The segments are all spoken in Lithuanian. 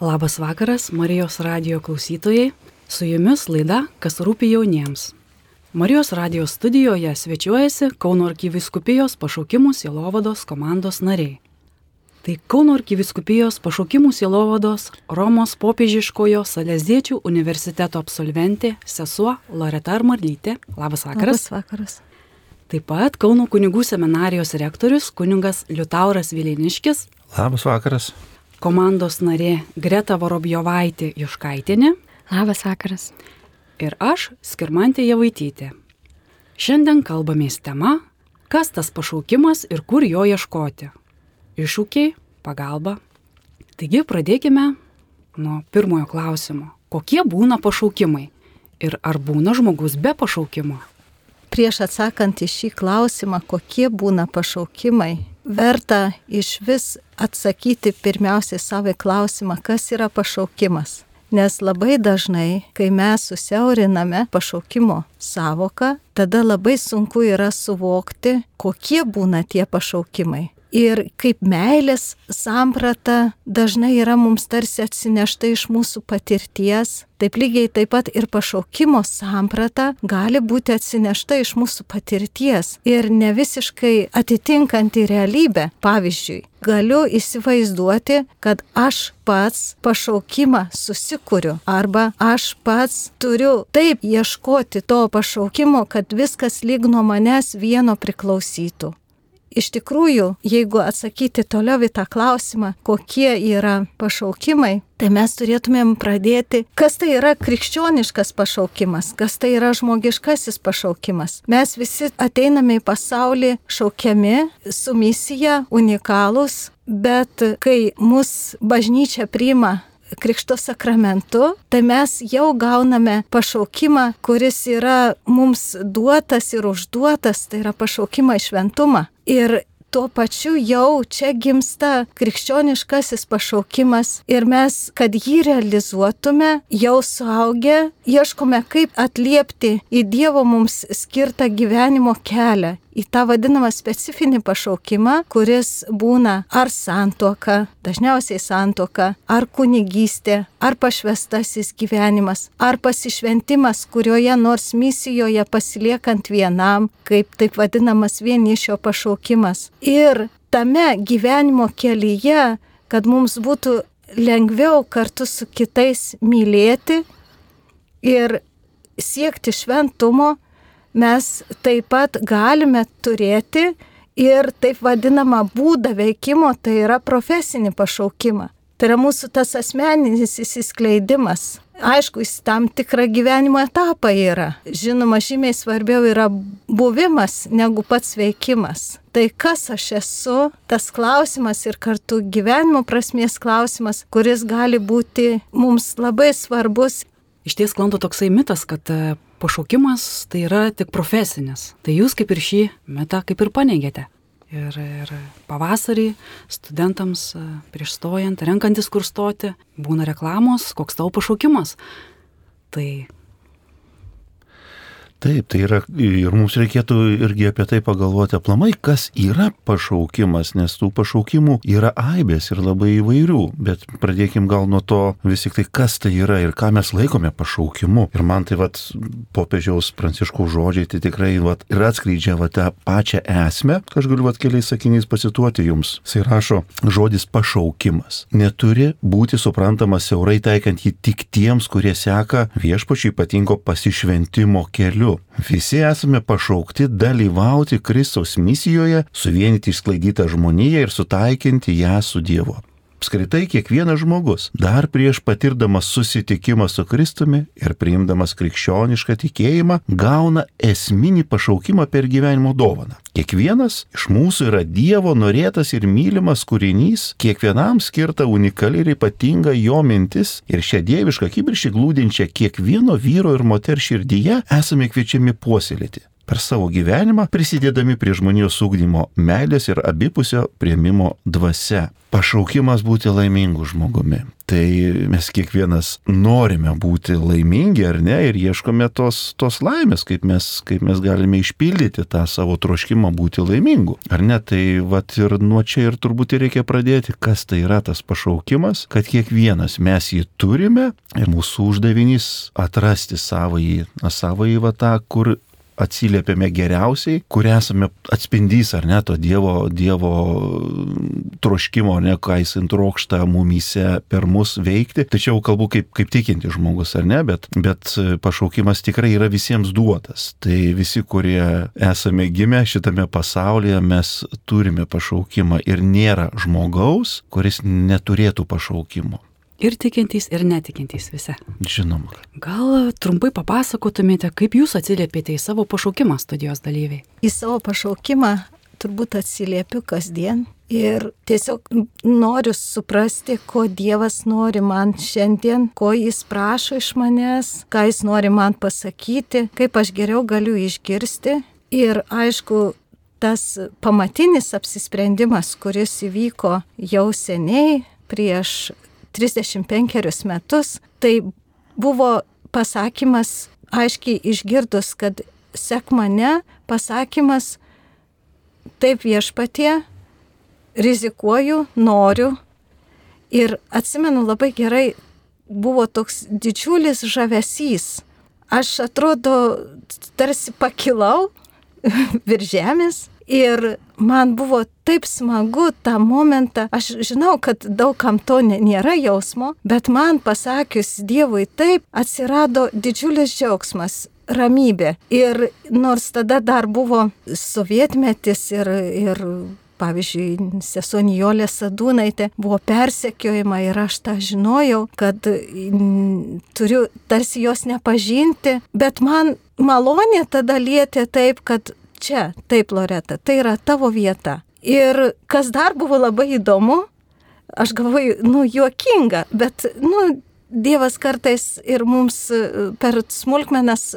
Labas vakaras, Marijos radijo klausytojai. Su jumis laida Kas rūpi jauniems. Marijos radijo studijoje svečiuojasi Kauno arkivyskupijos pašaukimų sielovados komandos nariai. Tai Kauno arkivyskupijos pašaukimų sielovados Romos popiežiškojo Saleziečių universiteto absolventė sesuo Loreta Armarlytė. Labas vakaras. Labas vakaras. Taip pat Kauno kunigų seminarijos rektorius kunigas Liutauras Vileniškis. Labas vakaras. Komandos narė Greta Vorobjovaitė Juškaitienė. Labas vakaras. Ir aš, Skirmantė Javaitytė. Šiandien kalbamės tema, kas tas pašaukimas ir kur jo ieškoti. Iššūkiai, pagalba. Taigi pradėkime nuo pirmojo klausimo. Kokie būna pašaukimai ir ar būna žmogus be pašaukimo? Prieš atsakant į šį klausimą, kokie būna pašaukimai, verta iš vis atsakyti pirmiausiai savo klausimą, kas yra pašaukimas. Nes labai dažnai, kai mes susiauriname pašaukimo savoką, tada labai sunku yra suvokti, kokie būna tie pašaukimai. Ir kaip meilės samprata dažnai yra mums tarsi atsinešta iš mūsų patirties, taip lygiai taip pat ir pašaukimo samprata gali būti atsinešta iš mūsų patirties ir ne visiškai atitinkanti realybę. Pavyzdžiui, galiu įsivaizduoti, kad aš pats pašaukimą susikuriu arba aš pats turiu taip ieškoti to pašaukimo, kad viskas lyg nuo manęs vieno priklausytų. Iš tikrųjų, jeigu atsakyti toliau į tą klausimą, kokie yra pašaukimai, tai mes turėtumėm pradėti, kas tai yra krikščioniškas pašaukimas, kas tai yra žmogiškasis pašaukimas. Mes visi ateiname į pasaulį šaukiami, su misija, unikalūs, bet kai mus bažnyčia priima Krikšto sakramentu, tai mes jau gauname pašaukimą, kuris yra mums duotas ir užduotas, tai yra pašaukimą į šventumą. Ir tuo pačiu jau čia gimsta krikščioniškasis pašaukimas ir mes, kad jį realizuotume, jau suaugę, ieškome kaip atliepti į Dievo mums skirtą gyvenimo kelią, į tą vadinamą specifinį pašaukimą, kuris būna ar santuoka, dažniausiai santuoka, ar kunigystė, ar pašvestasis gyvenimas, ar pasišventimas kurioje nors misijoje pasiliekant vienam, kaip taip vadinamas vienišio pašaukimas. Ir tame gyvenimo kelyje, kad mums būtų lengviau kartu su kitais mylėti ir siekti šventumo, mes taip pat galime turėti ir taip vadinamą būdą veikimo, tai yra profesinį pašaukimą. Tai yra mūsų tas asmeninis įsiskleidimas. Aišku, jis tam tikrą gyvenimo etapą yra. Žinoma, žymiai svarbiau yra buvimas negu pats veikimas. Tai kas aš esu, tas klausimas ir kartu gyvenimo prasmės klausimas, kuris gali būti mums labai svarbus. Išties sklando toksai mitas, kad pašaukimas tai yra tik profesinis. Tai jūs kaip ir šį mitą kaip ir paneigėte. Ir pavasarį studentams prieš stojant, renkantis kur stoti, būna reklamos, koks tavo pašaukimas. Taip, tai yra ir mums reikėtų irgi apie tai pagalvoti aplamai, kas yra pašaukimas, nes tų pašaukimų yra aibės ir labai įvairių, bet pradėkim gal nuo to vis tik tai, kas tai yra ir ką mes laikome pašaukimu. Ir man tai popiežiaus Pranciškaus žodžiai tai tikrai ir atskleidžia tą pačią esmę, kad aš galiu keliais sakiniais pacituoti jums. Jis rašo, žodis pašaukimas neturi būti suprantamas siaurai taikant jį tik tiems, kurie seka viešpačiui ypatingo pasišventimo keliu. Visi esame pašaukti dalyvauti Kristaus misijoje, suvienyti išsklaidytą žmoniją ir sutaikinti ją su Dievu. Apskritai kiekvienas žmogus, dar prieš patirdamas susitikimą su Kristumi ir priimdamas krikščionišką tikėjimą, gauna esminį pašaukimą per gyvenimo dovaną. Kiekvienas iš mūsų yra Dievo norėtas ir mylimas kūrinys, kiekvienam skirta unikali ir ypatinga jo mintis ir šią dievišką kibirkštį glūdinčią kiekvieno vyro ir moters širdyje esame kviečiami puoselėti. per savo gyvenimą, prisidėdami prie žmonijos ugdymo meilės ir abipusio priėmimo dvasia. Pašaukimas būti laimingu žmogumi. Tai mes kiekvienas norime būti laimingi, ar ne, ir ieškome tos laimės, kaip mes galime išpildyti tą savo troškimą būti laimingu. Ar ne, tai vat ir nuo čia ir turbūt reikia pradėti, kas tai yra tas pašaukimas, kad kiekvienas mes jį turime ir mūsų uždavinys atrasti savąjį va tą, kur atsiliepiame geriausiai, kur esame atspindys, ar ne, to Dievo troškimo, ar ne, ką jis trokšta mumyse per mus veikti. Tačiau kalbu kaip tikinti žmogus, ar ne, bet pašaukimas tikrai yra visiems duotas. Tai visi, kurie esame gimę šitame pasaulyje, mes turime pašaukimą ir nėra žmogaus, kuris neturėtų pašaukimo. Ir tikintys, ir netikintys visi. Žinoma. Gal trumpai papasakotumėte, kaip jūs atsiliepėte į savo pašaukimą, studijos dalyviai? Į savo pašaukimą turbūt atsiliepiu kasdien ir tiesiog noriu suprasti, ko Dievas nori man šiandien, ko Jis prašo iš manęs, ką Jis nori man pasakyti, kaip aš geriau galiu išgirsti. Ir aišku, tas pamatinis apsisprendimas, kuris įvyko jau seniai prieš 35 metus, tai buvo pasakymas, aiškiai išgirdus, kad sek mane, pasakymas, taip Viešpatie, rizikuoju, noriu. Ir atsimenu labai gerai, buvo toks didžiulis žavesys. Aš atrodo tarsi pakilau virš žemės. Ir man buvo taip smagu tą momentą, aš žinau, kad daugam to nėra jausmo, bet man pasakius Dievui taip, atsirado didžiulis džiaugsmas, ramybė. Ir nors tada dar buvo sovietmetis ir pavyzdžiui, sesuo Nijolė Sadūnaitė buvo persekiojama ir aš tą žinojau, kad turiu tarsi jos nepažinti, bet man malonė tada lietė taip, kad čia, taip Loreta, tai yra tavo vieta. Ir kas dar buvo labai įdomu, aš galvoju, juokinga, bet, Dievas kartais ir mums per smulkmenas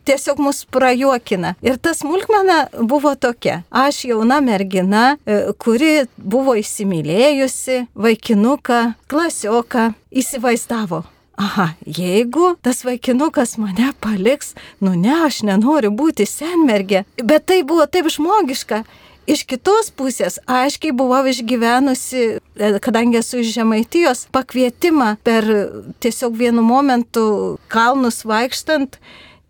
tiesiog mus prajuokina. Ir ta smulkmena buvo tokia. Aš jauna mergina, kuri buvo įsimylėjusi vaikinuką, klasioką, įsivaizdavo. Aha, jeigu tas vaikinukas mane paliks, ne, aš nenoriu būti senmergė. Bet tai buvo taip žmogiška. Iš kitos pusės aiškiai buvau išgyvenusi, kadangi esu iš Žemaitijos, pakvietimą per tiesiog vienu momentu kalnus vaikštant.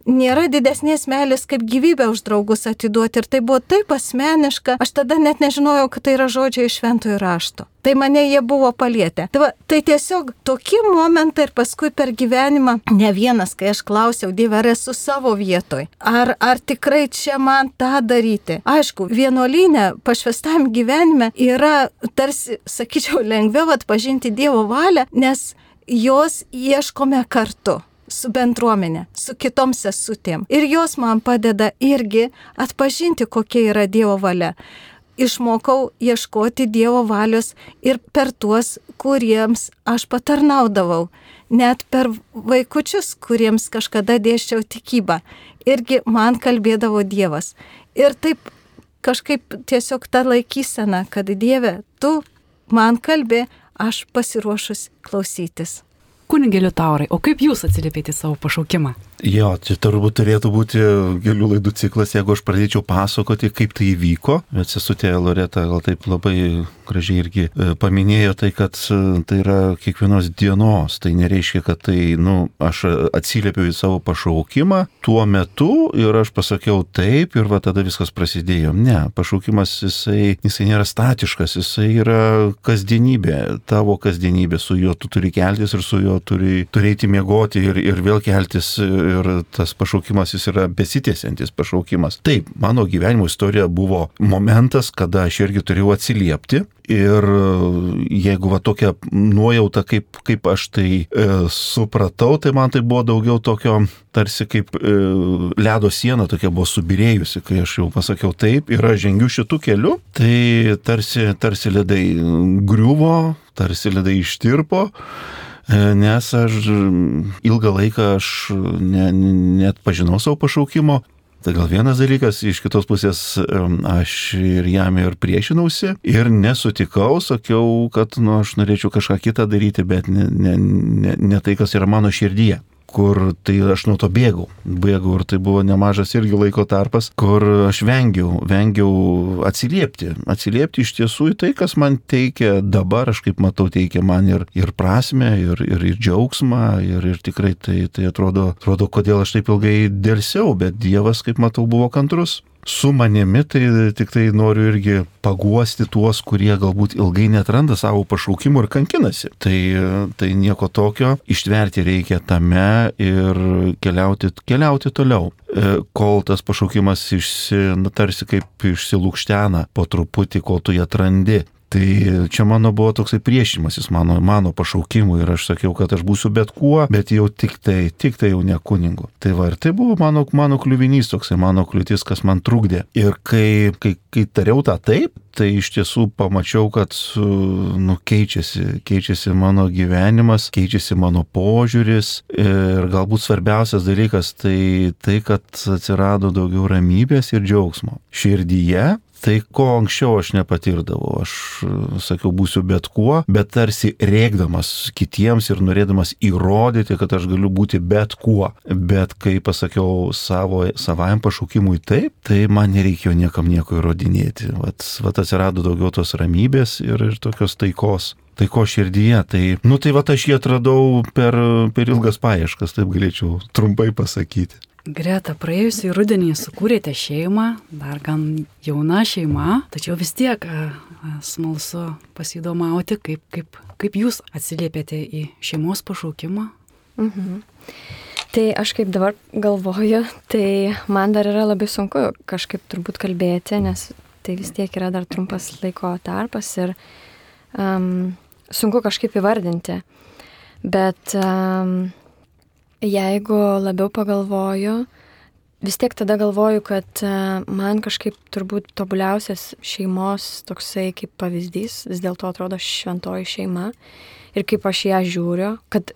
Nėra didesnės meilės, kaip gyvybę už draugus atiduoti. Ir tai buvo taip asmeniška. Aš tada net nežinojau, kad tai yra žodžiai iš Šventojo rašto. Tai mane jie buvo palietę. Tai tiesiog tokie momentai ir paskui per gyvenimą ne vienas, kai aš klausiau, Dieve, ar esu savo vietoj. Ar tikrai čia man tą daryti? Aišku, vienuolyne, pašvestam gyvenime yra tarsi, sakyčiau, lengviau atpažinti Dievo valią, nes jos ieškome kartu. Su bendruomenė, su kitom sesutėm. Ir jos man padeda irgi atpažinti, kokia yra Dievo valia. Išmokau ieškoti Dievo valios ir per tuos, kuriems aš patarnaudavau. Net per vaikučius, kuriems kažkada dėsčiau tikybą. Irgi man kalbėdavo Dievas. Ir taip kažkaip tiesiog ta laikysena, kad Dieve, tu man kalbė, aš pasiruošus klausytis. Kunigėliu Taurai, o kaip jūs atsiliepėte savo pašaukimą? Jo, čia turbūt turėtų būti kelių laidų ciklas, jeigu aš pradėčiau pasakoti, kaip tai įvyko. Bet sesutė Loreta gal taip labai gražiai irgi paminėjo tai, kad tai yra kiekvienos dienos. Tai nereiškia, kad tai, aš atsiliepiau į savo pašaukimą tuo metu ir aš pasakiau taip ir va tada viskas prasidėjo. Ne, pašaukimas jisai nėra statiškas, jisai yra kasdienybė, tavo kasdienybė, su juo tu turi keltis ir su juo turi turėti miegoti ir vėl keltis. Ir tas pašaukimas jis yra besitęsiantis pašaukimas. Taip, mano gyvenimo istorija buvo momentas, kada aš irgi turėjau atsiliepti. Ir jeigu va tokia nuojauta, kaip aš tai supratau, tai man tai buvo daugiau tokio, tarsi kaip ledo siena tokia buvo subirėjusi, kai aš jau pasakiau taip ir aš žengiu šitų kelių, tai tarsi ledai griuvo, tarsi ledai ištirpo. Nes aš ilgą laiką net pažinau savo pašaukimo Tai gal vienas dalykas, iš kitos pusės aš ir jam ir priešinausi ir nesutikau, sakiau, kad aš norėčiau kažką kitą daryti, bet ne tai, kas yra mano širdyje. Kur tai aš nuo to bėgau ir tai buvo nemažas irgi laiko tarpas, kur aš vengiau atsiliepti iš tiesų į tai, kas man teikia dabar, aš kaip matau, teikia man ir prasmę, ir džiaugsmą, ir tikrai tai atrodo, kodėl aš taip ilgai dėlsiau, bet Dievas, kaip matau, buvo kantrus. Su manimi tai tik tai noriu irgi paguosti tuos, kurie galbūt ilgai netranda savo pašaukimų ir kankinasi. Tai nieko tokio, ištverti reikia tame ir keliauti toliau. Kol tas pašaukimas tarsi kaip išsilūkštena po truputį, kol tu jį atrandi. Tai čia mano buvo toksai priešimasis mano pašaukimui ir aš sakiau, kad aš būsiu bet kuo, bet jau tik tai jau ne kunigu. Tai va, ir tai buvo mano kliuvinys, toksai mano kliūtis, kas man trukdė. Ir kai tariau tą taip, tai iš tiesų pamačiau, kad keičiasi mano gyvenimas, keičiasi mano požiūris ir galbūt svarbiausias dalykas tai kad atsirado daugiau ramybės ir džiaugsmo širdyje. Tai ko anksčiau aš nepatirdavau, aš sakiau, būsiu bet kuo, bet tarsi rėkdamas kitiems ir norėdamas įrodyti, kad aš galiu būti bet kuo. Bet kai pasakiau savajam pašaukimui taip, tai man nereikėjo niekam nieko įrodinėti. Vat atsirado daugiau tos ramybės ir tokios taikos širdyje. Tai vat aš jį atradau per ilgas paieškas, taip galėčiau trumpai pasakyti. Greta, praėjusį rudenį sukūrėte šeimą, dar gan jauna šeima, tačiau vis tiek smalsu pasidomauti, kaip jūs atsiliepėte į šeimos pašaukimą. Tai aš kaip dabar galvoju, tai man dar yra labai sunku kažkaip turbūt kalbėti, nes tai vis tiek yra dar trumpas laiko tarpas ir sunku kažkaip įvardinti. Bet jeigu labiau pagalvoju, vis tiek tada galvoju, kad man kažkaip turbūt tobuliausias šeimos toksai kaip pavyzdys, vis dėlto atrodo šventoji šeima ir kaip aš ją žiūriu, kad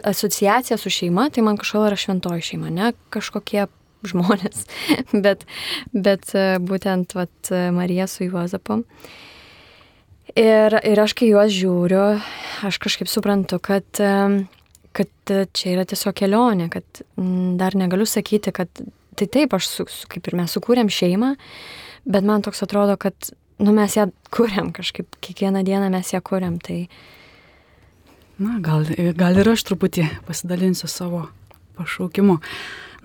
asociacija su šeima, tai man kažkodėl yra šventoji šeima, ne kažkokie žmonės, bet būtent Marija su Juozapu. Ir aš kai juos žiūriu, aš kažkaip suprantu, kad čia yra tiesiog kelionė, kad dar negaliu sakyti, kad tai taip, kaip ir mes sukūrėm šeimą, bet man toks atrodo, kad mes ją kūrėm kažkaip, kiekvieną dieną mes ją kūrėm. Tai... Na, gal ir aš truputį pasidalinsiu savo pašaukimu.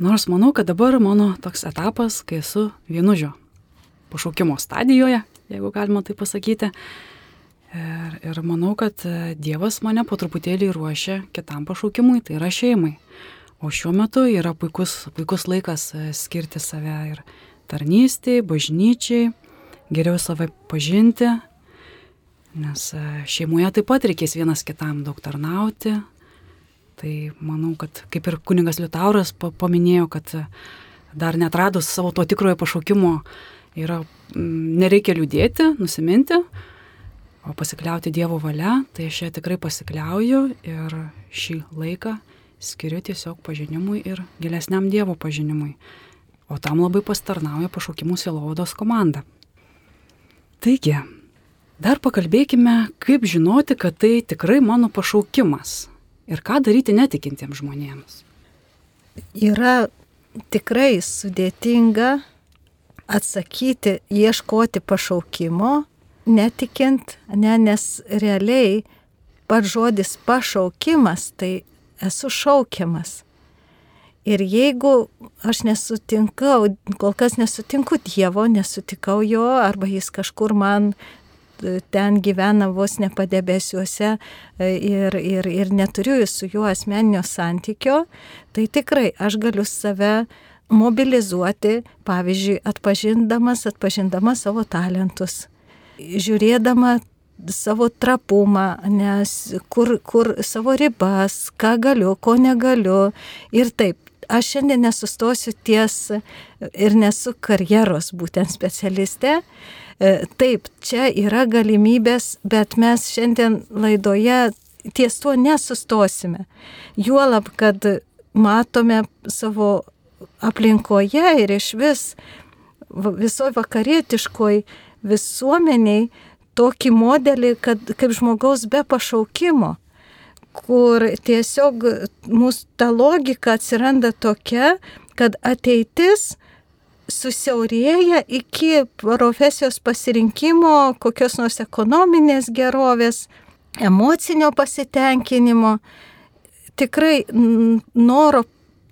Nors manau, kad dabar mano toks etapas, kai esu vienužio pašaukimo stadijoje, jeigu galima tai pasakyti. Ir manau, kad Dievas mane po truputėlį ruošia kitam pašaukimui, tai yra šeimai. O šiuo metu yra puikus laikas skirti save ir tarnystei, bažnyčiai, geriau save pažinti, nes šeimoje taip pat reikės vienas kitam daug tarnauti. Tai manau, kad kaip ir kunigas Liutauras paminėjo, kad dar netradus savo to tikrojo pašaukimo nereikia liūdėti, nusiminti, o pasikliauti Dievo valia, tai aš ją tikrai pasikliauju ir šį laiką skiriu tiesiog pažinimui ir gilesniam Dievo pažinimui. O tam labai pastarnauja pašaukimų sielovados komanda. Taigi, dar pakalbėkime, kaip žinoti, kad tai tikrai mano pašaukimas ir ką daryti netikintiems žmonėms. Yra tikrai sudėtinga atsakyti, ieškoti pašaukimo, netikint, nes realiai pats žodis pašaukimas, tai esu šaukiamas. Ir jeigu aš kol kas nesutinku Dievo, nesutikau jo, arba jis kažkur man ten gyvena vos ne padebesiuose ir neturiu su juo asmeninio santykio, tai tikrai aš galiu save mobilizuoti, pavyzdžiui, atpažindama savo talentus, žiūrėdama savo trapumą, nes kur savo ribas, ką galiu, ko negaliu. Ir taip, aš šiandien nesustosiu ties ir nesu karjeros būtent specialistė. Taip, čia yra galimybės, bet mes šiandien laidoje ties tuo nesustosime. Juolab, kad matome savo aplinkoje ir iš visoje vakarietiškoje visuomeniai tokį modelį, kaip žmogaus be pašaukimo, kur tiesiog mūsų ta logika atsiranda tokia, kad ateitis susiaurėja iki profesijos pasirinkimo, kokios nors ekonominės gerovės, emocinio pasitenkinimo, tikrai noro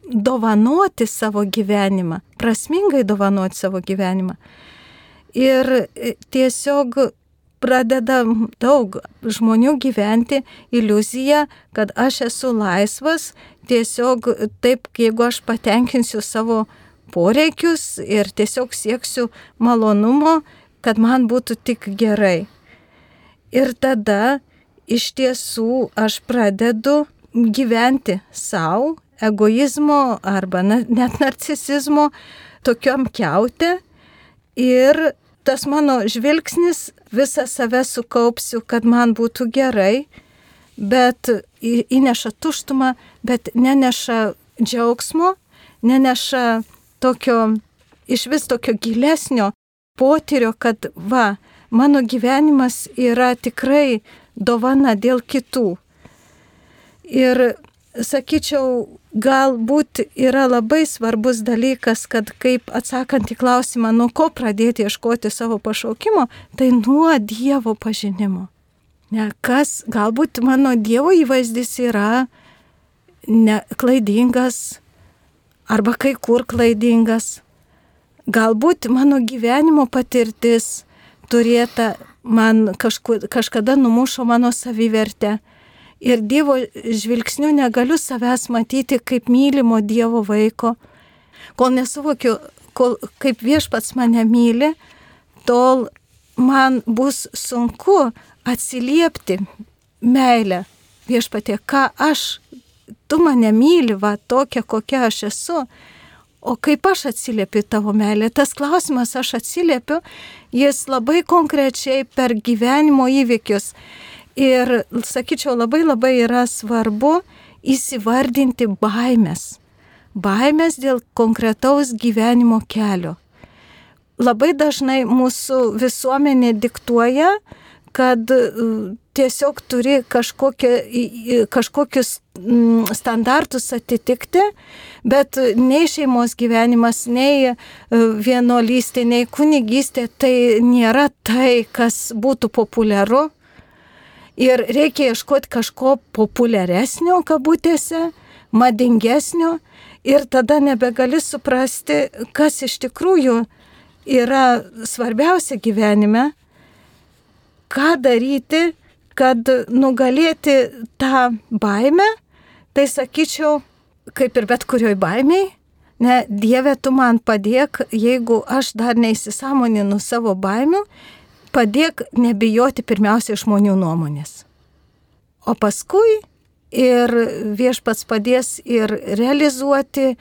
dovanoti savo gyvenimą, prasmingai dovanoti savo gyvenimą. Ir tiesiog pradeda daug žmonių gyventi iliuziją, kad aš esu laisvas, tiesiog taip, jeigu aš patenkinsiu savo poreikius ir tiesiog sieksiu malonumo, kad man būtų tik gerai. Ir tada iš tiesų aš pradedu gyventi savo, egoizmo arba net narcisizmo tokiom kiaute ir tas mano žvilgsnis visą save sukaupsiu, kad man būtų gerai, bet įneša tuštumą, bet neneša džiaugsmo, neneša iš vis tokio gilesnio potyrio, kad mano gyvenimas yra tikrai dovana dėl kitų. Ir sakyčiau, galbūt yra labai svarbus dalykas, kad kaip atsakant į klausimą, nuo ko pradėti ieškoti savo pašaukimo, tai nuo Dievo pažinimo. Galbūt mano Dievo įvaizdis yra klaidingas arba kai kur klaidingas. Galbūt mano gyvenimo patirtis turėta man kažkada numušo mano savivertę. Ir Dievo žvilgsniu negaliu savęs matyti kaip mylimo Dievo vaiko. Kol nesuvokiu, kaip Viešpats mane myli, tol man bus sunku atsiliepti meilę. Viešpatie, tu mane myli, tokia, kokia aš esu, o kaip aš atsiliepiu tavo meilę. Tas klausimas aš atsiliepiu, jis labai konkrečiai per gyvenimo įvykius. Ir, sakyčiau, labai yra svarbu įsivardinti baimės. Baimės dėl konkretaus gyvenimo kelio. Labai dažnai mūsų visuomenė diktuoja, kad tiesiog turi kažkokius standartus atitikti, bet nei šeimos gyvenimas, nei vienuolystė, nei kunigystė tai nėra tai, kas būtų populiaru. Ir reikia ieškoti kažko populiaresnio, kabutėse, madingesnio, ir tada nebegali suprasti, kas iš tikrųjų yra svarbiausia gyvenime, ką daryti, kad nugalėti tą baimę. Tai sakyčiau, kaip ir bet kurioj baimiai, Dieve, tu man padėk, jeigu aš dar neįsisąmoninu savo baimių, padėk nebijoti pirmiausiai žmonių nuomonės. O paskui ir Viešpats padės ir realizuoti,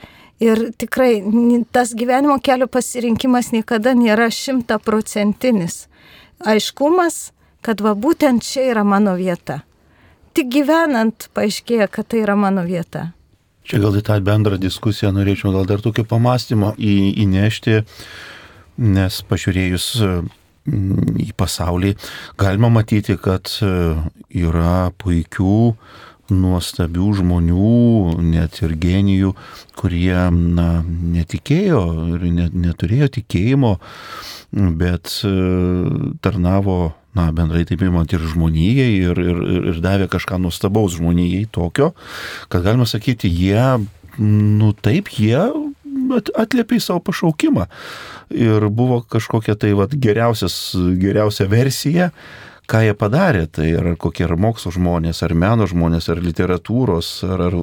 ir tikrai tas gyvenimo kelio pasirinkimas niekada nėra 100%. Aiškumas, kad būtent čia yra mano vieta. Tik gyvenant paaiškėja, kad tai yra mano vieta. Čia gal į tą bendrą diskusiją norėčiau gal dar tokio pamąstymo įnešti, nes pažiūrėjus į pasaulį galima matyti, kad yra puikių, nuostabių žmonių, net ir genijų, kurie netikėjo ir neturėjo tikėjimo, bet tarnavo, bendrai taip imant ir žmonijai ir davė kažką nuostabaus žmonijai tokio, kad galima sakyti, jie atliepė į savo pašaukimą. Ir buvo kažkokia tai geriausia versija, ką jie padarė. Tai ar kokie ar mokslo žmonės, ar meno žmonės, ar literatūros, ar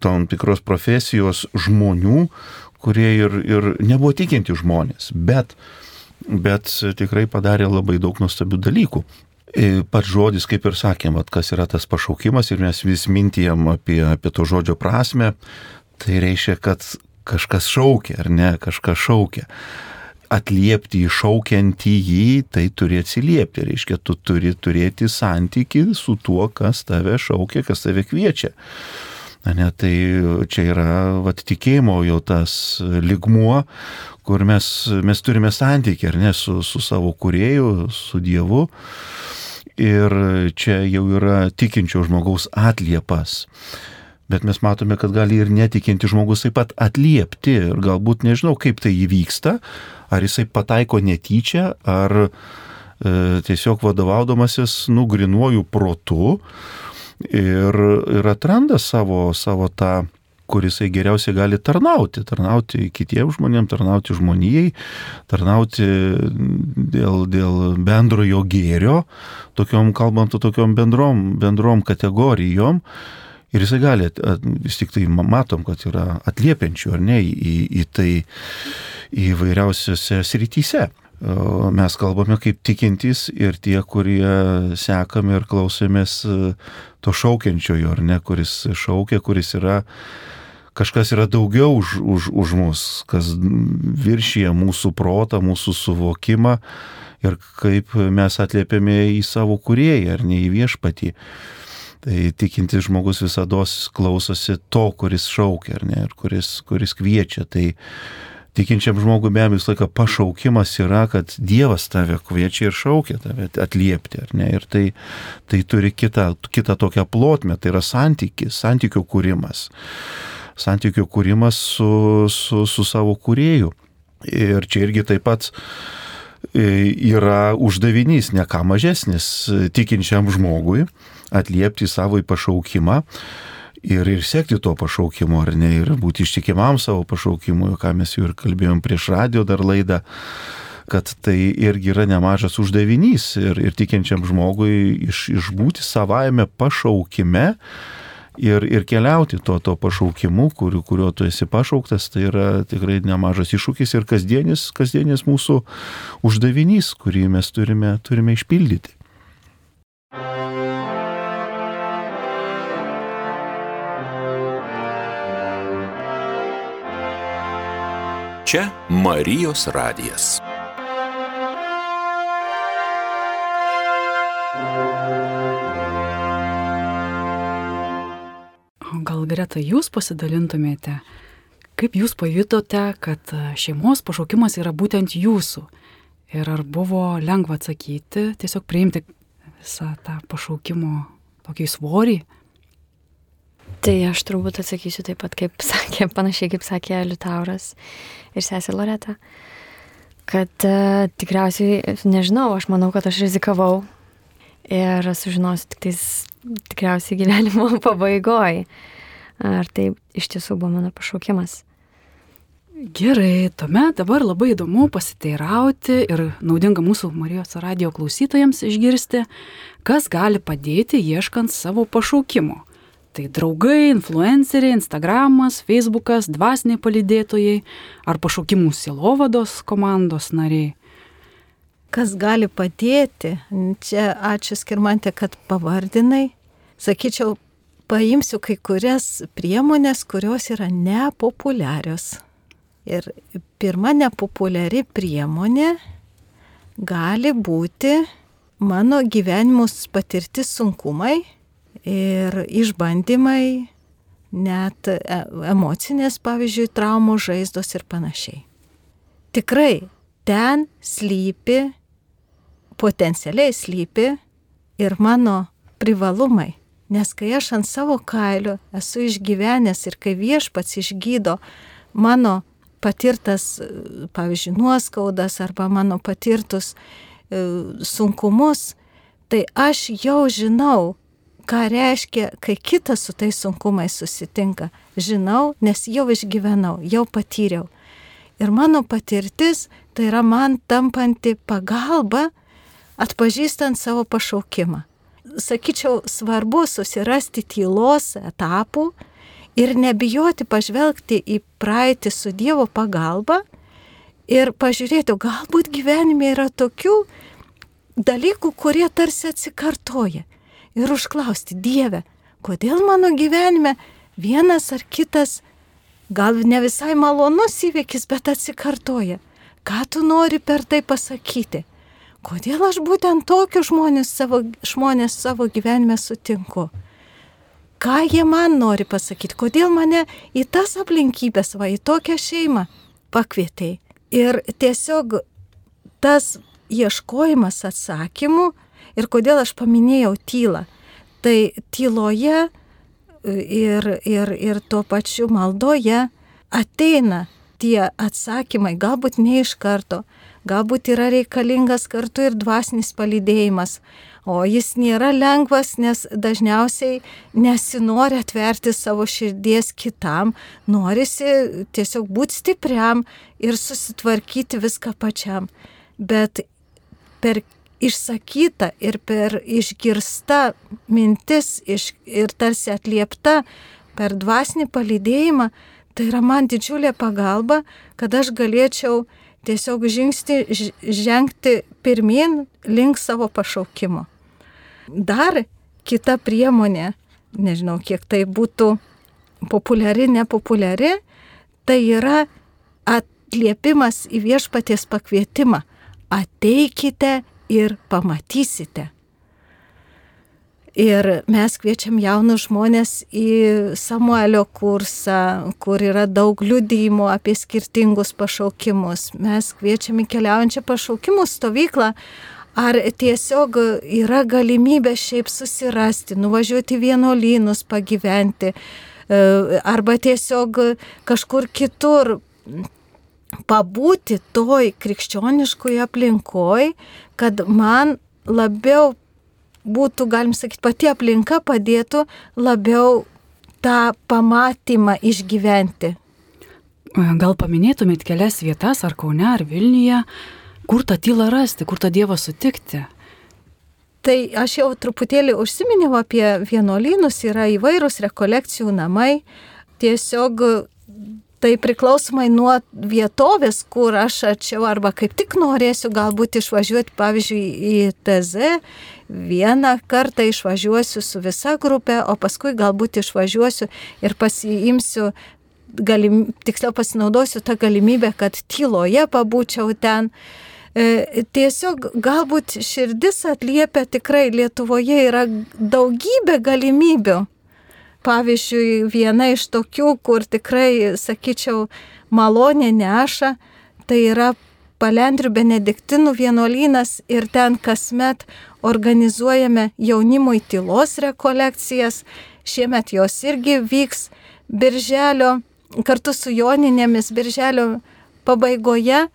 tam tikros profesijos žmonių, kurie ir nebuvo tikinti žmonės, bet tikrai padarė labai daug nuostabių dalykų. Pats žodis, kaip ir sakėm, kas yra tas pašaukimas, ir mes vis mintijam apie to žodžio prasme, tai reiškia, kad kažkas šaukia, ar ne, kažkas šaukia. Atliepti šaukiantį jį, tai turi atsiliepti. Reiškia, tu turi turėti santykį su tuo, kas tave šaukia, kas tave kviečia. Ne, tai čia yra tikėjimo jau tas lygmuo, kur mes turime santykį, ar ne, su savo kūrėju, su Dievu. Ir čia jau yra tikinčio žmogaus atliepas. Bet mes matome, kad gali ir netikinti žmogus taip pat atliepti. Ir galbūt nežinau, kaip tai įvyksta. Ar jisai pataiko netyčia, ar tiesiog vadovaudamasis grynuoju protu ir atranda savo tą, kur jisai geriausiai gali tarnauti kitiems žmonėms, tarnauti žmonijai, tarnauti dėl bendrojo gėrio, kalbant tokiom bendrom kategorijom. Ir jisai gali, vis tik tai matom, kad yra atliepiančių, ar ne, į tai įvairiausiose srityse. Mes kalbame kaip tikintys ir tie, kurie sekame ir klausomės to šaukiančiojo, ar ne, kuris šaukia, kuris yra, kažkas yra daugiau už mus, kas viršyje mūsų protą, mūsų suvokimą ir kaip mes atliepiame į savo kūrėją, ar ne į viešpatį. Tai tikintis žmogus visados klausosi to, kuris šaukia, ar ne, ir kuris kviečia. Tai tikinčiam žmogui be abejo visą laiką pašaukimas yra, kad Dievas tave kviečia ir šaukia tave atliepti, ar ne? Ir tai turi kitą tokią plotmę, tai yra santykių kūrimas. Santykių kūrimas su savo kūrėju. Ir čia irgi taip pat yra uždavinys, ne ką mažesnis tikinčiam žmogui atliepti savo pašaukimą. Ir sekti to pašaukimo, ar ne, ir būti ištikimam savo pašaukimui, ką mes jau ir kalbėjom prieš radijo dar laidą, kad tai irgi yra nemažas uždavinys ir tikinčiam žmogui išbūti savajame pašaukime ir keliauti to pašaukimu, kuriuo tu esi pašauktas, tai yra tikrai nemažas iššūkis ir kasdienis mūsų uždavinys, kurį mes turime išpildyti. Čia Marijos radijas. Gal Greta, jūs pasidalintumėte, kaip jūs pajutote, kad šeimos pašaukimas yra būtent jūsų? Ir ar buvo lengva atsakyti, tiesiog priimti visą tą pašaukimo tokį svorį? Tai aš turbūt atsakysiu taip pat, panašiai kaip sakė Liutauras ir sesė Loreta, kad tikriausiai, nežinau, aš manau, kad aš rizikavau ir sužinosiu tikriausiai gyvenimo pabaigoje, ar tai iš tiesų buvo mano pašaukimas. Gerai, tuomet dabar labai įdomu pasiteirauti ir naudinga mūsų Marijos radijo klausytojams išgirsti, kas gali padėti ieškant savo pašaukimo. Tai draugai, influenceriai, Instagramas, Facebookas, dvasiniai palydėtojai ar pašaukimų sielovados komandos nariai. Kas gali padėti? Čia ačiū Skirmante, kad pavardinai. Sakyčiau, paimsiu kai kurias priemonės, kurios yra nepopuliarios. Ir pirma nepopuliari priemonė gali būti mano gyvenimus patirti sunkumai ir išbandymai, net emocinės, pavyzdžiui, traumos, žaizdos ir panašiai. Tikrai ten potencialiai slypi ir mano privalumai, nes kai aš ant savo kailio esu išgyvenęs ir kai Viešpats išgydo mano patirtas, pavyzdžiui, nuoskaudas arba mano patirtus sunkumus, tai aš jau žinau, ką reiškia, kai kitas su tais sunkumais susitinka. Žinau, nes jau išgyvenau, jau patyriau. Ir mano patirtis tai yra man tampanti pagalba atpažįstant savo pašaukimą. Sakyčiau, svarbu susirasti tylos etapų ir nebijoti pažvelgti į praeitį su Dievo pagalba ir pažiūrėti, galbūt gyvenime yra tokių dalykų, kurie tarsi atsikartoja. Ir užklausti, Dieve, kodėl mano gyvenime vienas ar kitas, gal ne visai malonus įvykis, bet atsikartoja. Ką tu nori per tai pasakyti? Kodėl aš būtent tokius žmonės savo gyvenime sutinku? ką jie man nori pasakyti, kodėl mane į tas aplinkybės, į tokią šeimą pakvietei. Ir tiesiog tas ieškojimas atsakymų ir kodėl aš paminėjau tylą. Tai tyloje ir tuo pačiu maldoje ateina tie atsakymai, galbūt ne iš karto, galbūt yra reikalingas kartu ir dvasinis palydėjimas, o jis nėra lengvas, nes dažniausiai nesinori atverti savo širdies kitam, norisi tiesiog būti stipriam ir susitvarkyti viską pačiam. Bet per išsakyta ir per išgirsta mintis ir tarsi atliepta per dvasinį palydėjimą, tai yra man didžiulė pagalba, kad aš galėčiau tiesiog žengti pirmin link savo pašaukimo. Dar kita priemonė, nežinau, kiek tai būtų populiari, nepopuliari, tai yra atliepimas į viešpaties pakvietimą. Ateikite ir pamatysite. Ir mes kviečiam jaunus žmonės į Samuelio kursą, kur yra daug liudijimų apie skirtingus pašaukimus. Mes kviečiam į keliaujančią pašaukimų stovyklą, ar tiesiog yra galimybė šiaip susirasti, nuvažiuoti vienuolynus, pagyventi, arba tiesiog kažkur kitur pabūti toj krikščioniškoje aplinkoj, kad man labiau būtų, galim sakyti, pati aplinka padėtų labiau tą pamatymą išgyventi. Gal paminėtumėt kelias vietas, ar Kaune, ar Vilniuje, kur tą tylą rasti, kur tą Dievą sutikti? Tai aš jau truputėlį užsiminiau apie vienuolynus, yra įvairūs rekolekcijų namai, tiesiog tai priklausomai nuo vietovės, kur aš arčiau arba kaip tik norėsiu galbūt išvažiuoti, pavyzdžiui, į TZ, vieną kartą išvažiuosiu su visa grupė, o paskui galbūt išvažiuosiu ir pasiimsiu, tiksliau pasinaudosiu tą galimybę, kad tyloje pabūčiau ten. Tiesiog galbūt širdis atliepia, tikrai Lietuvoje yra daugybė galimybių. Pavyzdžiui, viena iš tokių, kur tikrai, sakyčiau, malonė neša, tai yra Palendrių benediktinų vienuolynas ir ten kasmet organizuojame jaunimui tylos rekolekcijas. Šiemet jos irgi vyks birželio, kartu su joninėmis birželio pabaigoje.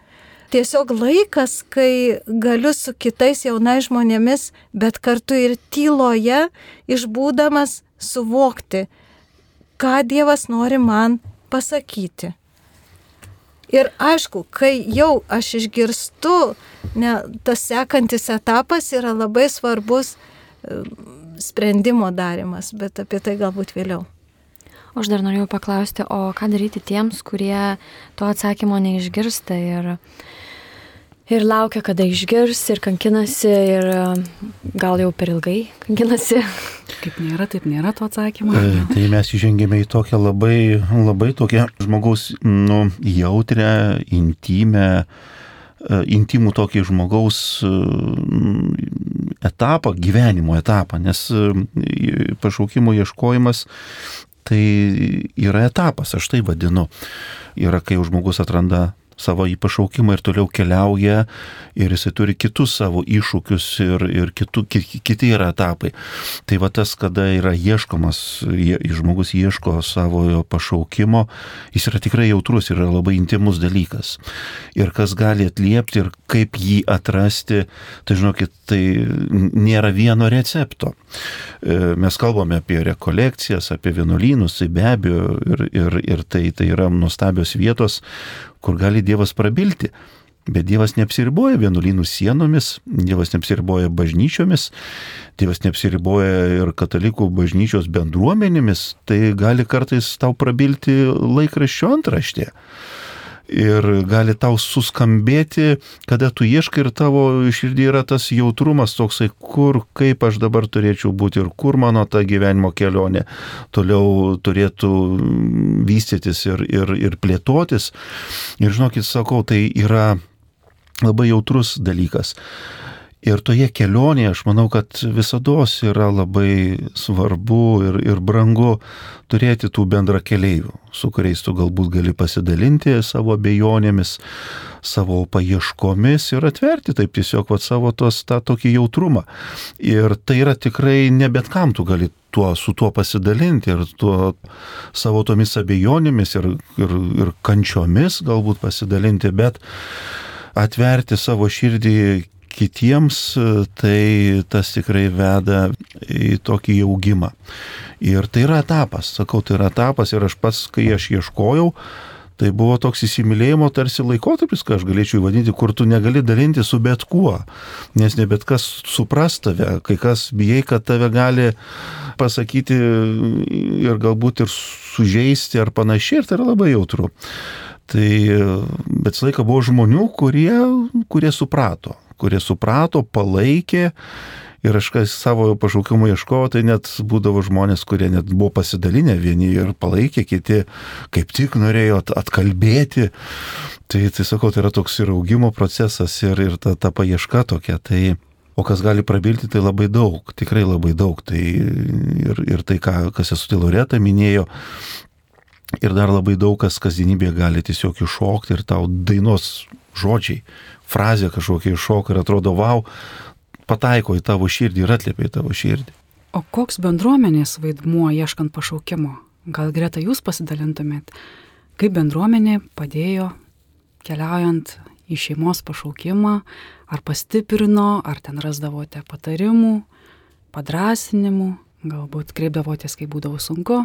Tiesiog laikas, kai galiu su kitais jaunais žmonėmis, bet kartu ir tyloje išbūdamas suvokti, ką Dievas nori man pasakyti. Ir aišku, kai jau aš išgirstu, tas sekantis etapas yra labai svarbus sprendimo darimas, bet apie tai galbūt vėliau. Aš dar norėjau paklausti, o ką daryti tiems, kurie to atsakymo neišgirsta ir laukia, kada išgirs, ir kankinasi, ir gal jau per ilgai kankinasi. Kaip nėra, taip nėra to atsakymo. Tai mes įžengėme į tokią labai tokią žmogaus jautrę, intimų tokį žmogaus etapą, gyvenimo etapą, nes pašaukimo ieškojimas tai yra etapas, aš tai vadinu. Yra, kai žmogus atranda savo į pašaukimą ir toliau keliauja ir jisai turi kitus savo iššūkius ir kiti yra etapai. Tai va tas, kada yra ieškomas, žmogus ieško savo pašaukimo, jis yra tikrai jautrus ir yra labai intimus dalykas. Ir kas gali atliepti ir kaip jį atrasti, tai žinokit, tai nėra vieno recepto. Mes kalbame apie rekolekcijas, apie vienuolynus, tai be abejo ir tai yra nuostabios vietos, kur gali Dievas prabilti. Bet Dievas neapsiriboja vienuolynų sienomis, Dievas neapsiriboja bažnyčiomis, Dievas neapsiriboja ir katalikų bažnyčios bendruomenėmis, tai gali kartais tau prabilti laikraščio antraštė. Ir gali tau suskambėti, kada tu ieškai ir tavo širdį yra tas jautrumas toksai, kur, kaip aš dabar turėčiau būti ir kur mano ta gyvenimo kelionė toliau turėtų vystytis ir plėtotis. Ir žinokit, sakau, tai yra labai jautrus dalykas. Ir toje kelionėje aš manau, kad visados yra labai svarbu ir brangu turėti tų bendrakeleivių, su kuriais tu galbūt gali pasidalinti savo abejonėmis, savo paieškomis ir atverti taip tiesiog savo tą tokį jautrumą. Ir tai yra tikrai ne bet kam tu gali su tuo pasidalinti ir savo tomis abejonėmis ir kančiomis galbūt pasidalinti, bet atverti savo širdį kitiems, tai tas tikrai veda į tokį augimą. Ir tai yra etapas, sakau, tai yra etapas ir aš pats, kai aš ieškojau, tai buvo toks įsimylėjimo tarsi laikotarpis, ką aš galėčiau įvadinti, kur tu negali dalinti su bet kuo, nes ne bet kas supras tave, kai kas bijai, kad tave gali pasakyti ir galbūt ir sužeisti ar panašiai, ir tai yra labai jautru. Tai, bet visą laiką buvo žmonių, kurie suprato, palaikė ir aš savo pašaukimo ieškojau, tai net būdavo žmonės, kurie net buvo pasidalinę vieni ir palaikė, kiti kaip tik norėjo atkalbėti. Tai sakau, tai yra toks ir augimo procesas ir ta paieška tokia. Tai, o kas gali prabilti, tai labai daug, tikrai labai daug. Tai ir tai, kas Sesutė Loreta minėjo, ir dar labai daug kas kasdienybėje gali tiesiog iššokti ir tau dainos žodžiai, frazė kažkokia iššoka ir atrodo, vau, pataiko į tavo širdį ir atliepia į tavo širdį. O koks bendruomenės vaidmuo ieškant pašaukimo? Gal Greta jūs pasidalintumėt, kaip bendruomenė padėjo keliaujant į šeimos pašaukimą, ar pastiprino, ar ten rasdavote patarimų, padrasinimų, galbūt kreipdavotės, kai būdavo sunku.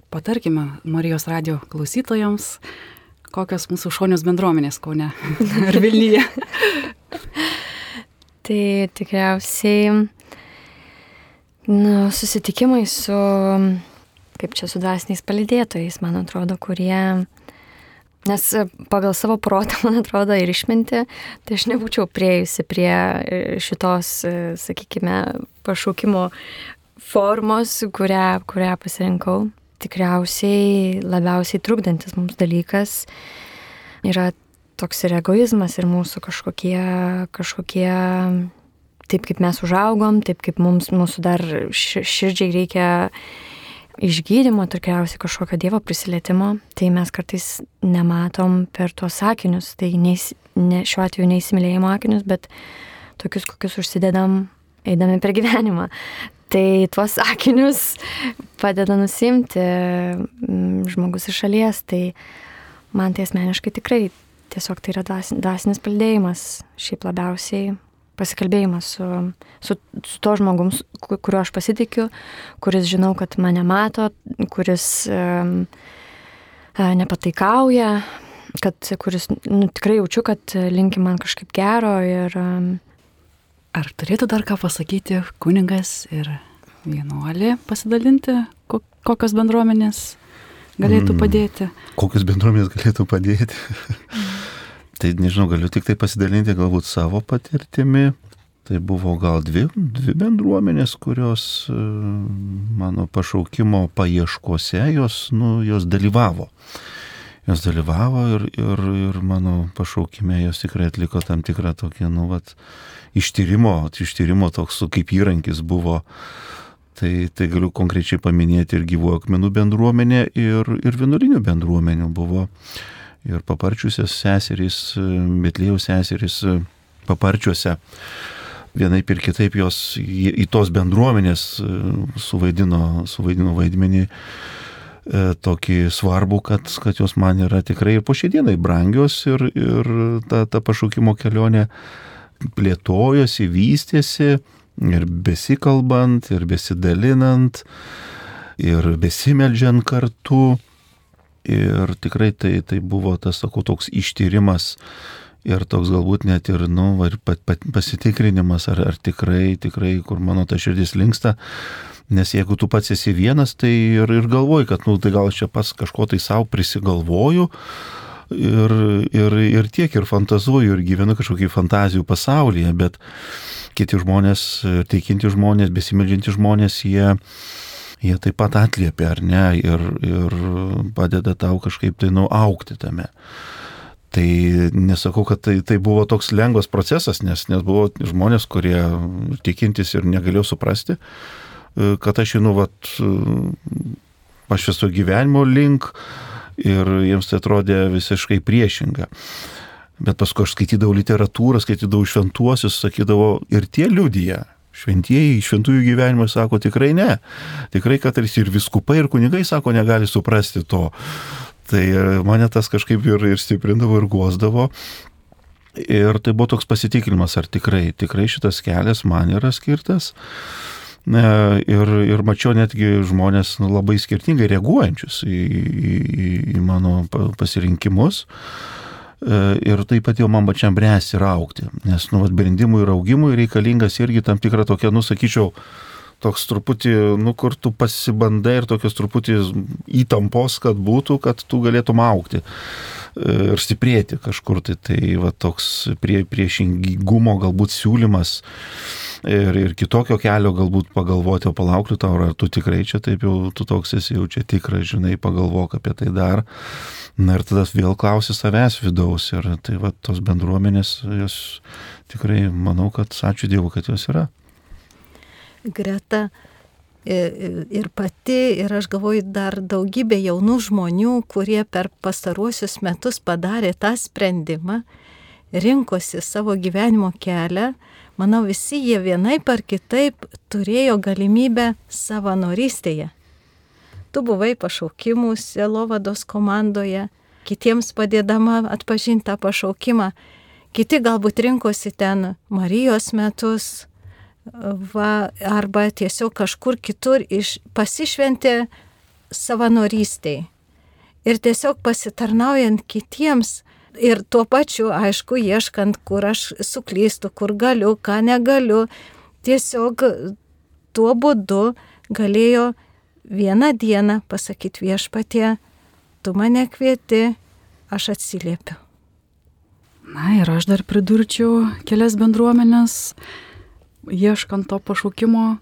Patarkime Marijos radijo klausytojams, kokios mūsų šonios bendruomenės Kaune ar Vilniuje. Tai tikriausiai susitikimai su dvasiniais palydėtojais, man atrodo, kurie, nes pagal savo protą, man atrodo, ir išmintį, tai aš nebūčiau priėjusi prie šitos, sakykime, pašaukimo formos, kurią pasirinkau. Tikriausiai labiausiai trukdantis mums dalykas yra toks ir egoizmas ir mūsų kažkokie taip kaip mes užaugom, taip kaip mūsų dar širdžiai reikia išgydymo, tikriausiai kažkokio Dievo prisilietimo, tai mes kartais nematom per tuos akinius, tai šiuo atveju neįsimylėjimo akinius, bet tokius, kokius užsidedam eidami per gyvenimą. Tai tuos akinius padeda nusimti žmogus iš šalies, tai man tai asmeniškai tikrai tiesiog tai yra dvasinis palydėjimas, šiaip labiausiai pasikalbėjimas su to žmogum, kuriuo aš pasitikiu, kuris žinau, kad mane mato, kuris nepataikauja, kuris tikrai jaučiu, kad linki man kažkaip gero ir Ar turėtų dar ką pasakyti kunigas ir vienuolė pasidalinti, kokios bendruomenės galėtų padėti? Kokios bendruomenės galėtų padėti? Tai nežinau, galiu tik tai pasidalinti galbūt savo patirtimi. Tai buvo gal dvi bendruomenės, kurios mano pašaukimo paieškose, jos dalyvavo. Jos dalyvavo ir mano pašaukime jos tikrai atliko tam tikrą tokį, ištyrimo toks kaip įrankis buvo. Tai galiu konkrečiai paminėti ir Gyvųjų akmenų bendruomenė, ir vienuolinių bendruomenių buvo. Ir Paparčiuose seserys, Betliejaus seserys Paparčiuose. Vienaip ir kitaip jos į tos bendruomenės suvaidino vaidmenį tokį svarbų, kad jos man yra tikrai ir po šiai dienai brangios ir ta pašaukimo kelionė plėtojosi, vystėsi ir besikalbant, ir besidalinant, ir besimeldžiant kartu. Ir tikrai tai buvo tas, sakau, toks ištyrimas ir toks galbūt net ir, pasitikrinimas, ar tikrai, kur mano ta širdis linksta. Nes jeigu tu pats esi vienas, tai ir galvoji, kad tai gal aš čia pats kažko tai savo prisigalvoju ir tiek, ir fantazuoju, ir gyvenu kažkokį fantazijų pasaulyje, bet kiti žmonės, tikinti žmonės, besimeldžianti žmonės, jie taip pat atliepia, ar ne, ir padeda tau kažkaip tai augti tame. Tai nesakau, kad tai buvo toks lengvas procesas, nes buvo žmonės, kurie tikintis ir negalėjo suprasti, kad aš einu, aš esu gyvenimo link ir jiems tai atrodė visiškai priešinga. Bet paskui aš skaitydavau literatūrą, skaitydavau šventuosius, sakydavau, ir tie liudija. Šventieji, šventųjų gyvenimai sako tikrai ne. Tikrai, kad ir viskupai, ir kunigai sako, negali suprasti to. Tai mane tas kažkaip ir stiprindavo, ir guosdavo. Ir tai buvo toks pasitikinimas, ar tikrai šitas kelias man yra skirtas. Ir mačiau netgi žmonės labai skirtingai reaguojančius į mano pasirinkimus. Ir tai padėjo man pačiam bręsti ir augti. Nes brendimui ir augimui reikalingas irgi tam tikra tokia, sakyčiau, toks truputį, kur tu pasibandai ir tokios truputį įtampos, kad tu galėtum augti ir stiprėti kažkur. Tai toks priešingumo galbūt siūlymas ir kitokio kelio galbūt pagalvoti, o palaukliu tau, ar tu tikrai čia taip jau, tu toks esi jau čia tikras, žinai, pagalvok apie tai dar. Ir tada vėl klausi savęs vidaus ir tai tos bendruomenės, jos tikrai manau, kad ačiū Dievui, kad jos yra. Greta ir pati, ir aš galvoju dar daugybė jaunų žmonių, kurie per pastaruosius metus padarė tą sprendimą, rinkosi savo gyvenimo kelią. Manau, visi jie vienaip ar kitaip turėjo galimybę savanorystėje. Tu buvai pašaukimų sielovados komandoje, kitiems padėdama atpažinti tą pašaukimą. Kiti galbūt rinkosi ten Marijos metus, arba tiesiog kažkur kitur pasišventė savanorystėj. Ir tiesiog pasitarnaujant kitiems ir tuo pačiu, aišku, ieškant, kur aš suklystu, kur galiu, ką negaliu. Tiesiog tuo būdu galėjo vieną dieną pasakyti Viešpatie, tu mane kvieti, aš atsiliepiu. Na ir aš dar pridurčiau kelias bendruomenės. Ieškant to pašaukimo,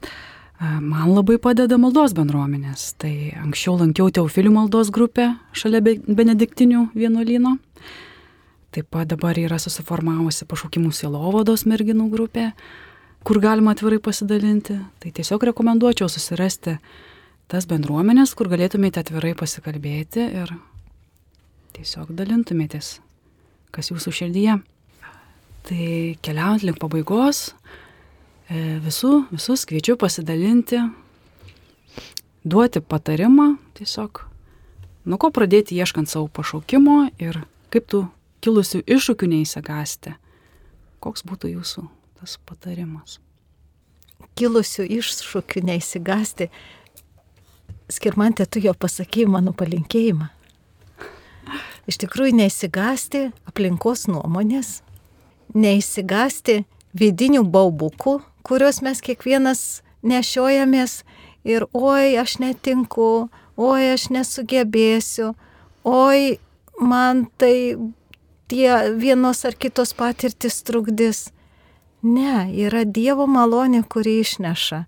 man labai padeda maldos bendruomenės. Tai anksčiau lankiau Teofilių maldos grupę šalia Benediktinių vienuolyno. Taip pat dabar yra susiformavusi pašaukimų sielovados merginų grupė, kur galima atvirai pasidalinti. Tai tiesiog rekomenduočiau susirasti tas bendruomenės, kur galėtumėte atvirai pasikalbėti ir tiesiog dalintumėtės, kas jūsų širdyje. Tai keliaujant link pabaigos, visus kviečiu pasidalinti, duoti patarimą tiesiog, nuo ko pradėti ieškant savo pašaukimo ir kaip tų kilusių iššūkių neįsigąsti. Koks būtų jūsų tas patarimas? Kilusių iššūkių neįsigąsti. Skirmantė, tu jau pasakėjai mano palinkėjimą. Iš tikrųjų neįsigąsti aplinkos nuomonės, neįsigąsti vidinių baubukų, kuriuos mes kiekvienas nešiojamės ir oi, aš netinku, oi, aš nesugebėsiu, oi, man tai tie vienos ar kitos patirtis trukdys. Ne, yra Dievo malonė, kuri išneša.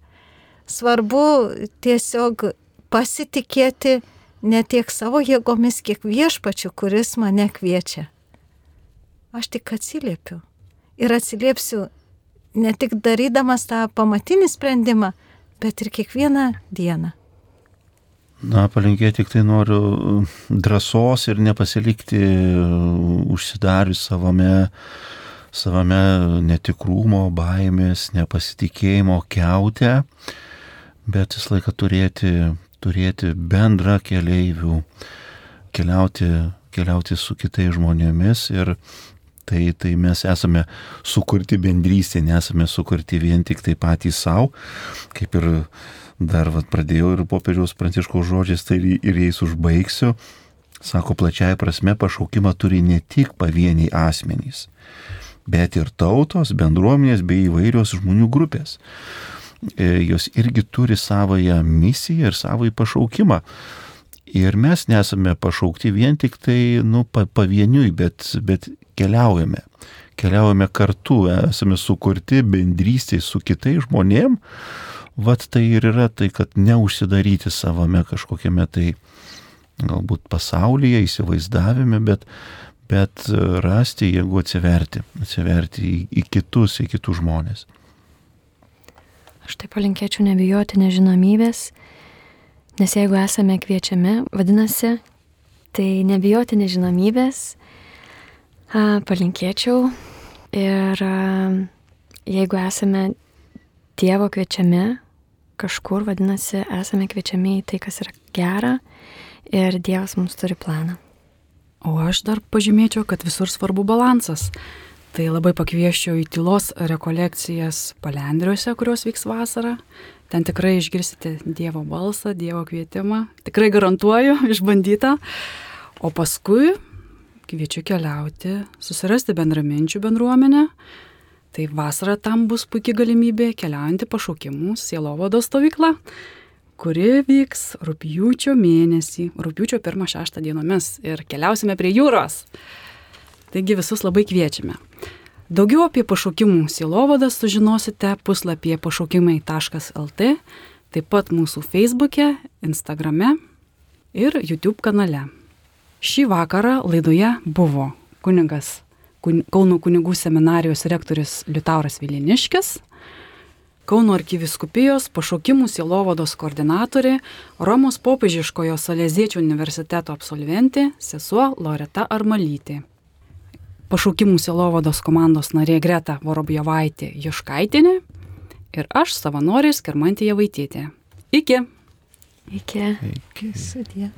Svarbu tiesiog pasitikėti ne tiek savo jėgomis, kiek Viešpačiu, kuris mane kviečia. Aš tik atsiliepiu. Ir atsiliepsiu ne tik darydamas tą pamatinį sprendimą, bet ir kiekvieną dieną. Palinkėti tik tai noriu drąsos ir nepasilikti užsidarius savame netikrumo, baimės, nepasitikėjimo kiaute, bet visą laiką turėti bendrą keleivių, keliauti su kitais žmonėmis ir tai mes esame sukurti bendrystė, nesame sukurti vien tik tai patys savo, kaip ir dar pradėjau ir popiežiaus Pranciškaus žodžiais, tai ir jais užbaigsiu. Sako, plačiaja prasme pašaukimą turi ne tik pavieniai asmenys, bet ir tautos, bendruomenės bei įvairios žmonių grupės. Jos irgi turi savąją misiją ir savąjį pašaukimą. Ir mes nesame pašaukti vien tik tai pavieniui, bet keliaujame kartu, esame sukurti bendrystėje su kitais žmonėm. Tai ir yra tai, kad neužsidaryti savame kažkokiame tai galbūt pasaulyje, įsivaizdavime, bet rasti jėgų atsiverti į kitus žmonės. Aš tai palinkėčiau nebijoti nežinomybės, nes jeigu esame kviečiami, vadinasi, tai nebijoti nežinomybės, palinkėčiau. Ir jeigu esame Dievo kviečiami kažkur, vadinasi, esame kviečiami į tai, kas yra gera, ir Dievas mums turi planą. O aš dar pažymėčiau, kad visur svarbu balansas. Tai labai pakvieščiau į tylos rekolekcijas Palendriuose, kurios vyks vasarą. Ten tikrai išgirsite Dievo balsą, Dievo kvietimą. Tikrai garantuoju, išbandytą. O paskui kviečiu keliauti, susirasti bendraminčių bendruomenę. Tai vasarą tam bus puikia galimybė keliaujantį pašaukimų sielovados stovyklą, kuri vyks rugpjūčio mėnesį, rugpjūčio 1-6 dienomis. Ir keliausime prie jūros. Taigi visus labai kviečiame. Daugiau apie pašaukimų sielovadą sužinosite puslapyje pašaukimai.lt, taip pat mūsų Facebook'e, Instagram'e ir YouTube kanale. Šį vakarą laidoje buvo kunigas Kauno kunigų seminarijos rektorius Liutauras Viliniškis, Kauno arkivyskupijos pašaukimų sielovados koordinatorė, Romos popiežiškojo Saleziečių universiteto absolventė sesuo Loreta Armalytė. Pašaukimų sielovados komandos narė Greta Vorobjovaitė Juškaitienė ir aš, savanorė Skirmantė Javaitytė. Iki. Iki. Sudie.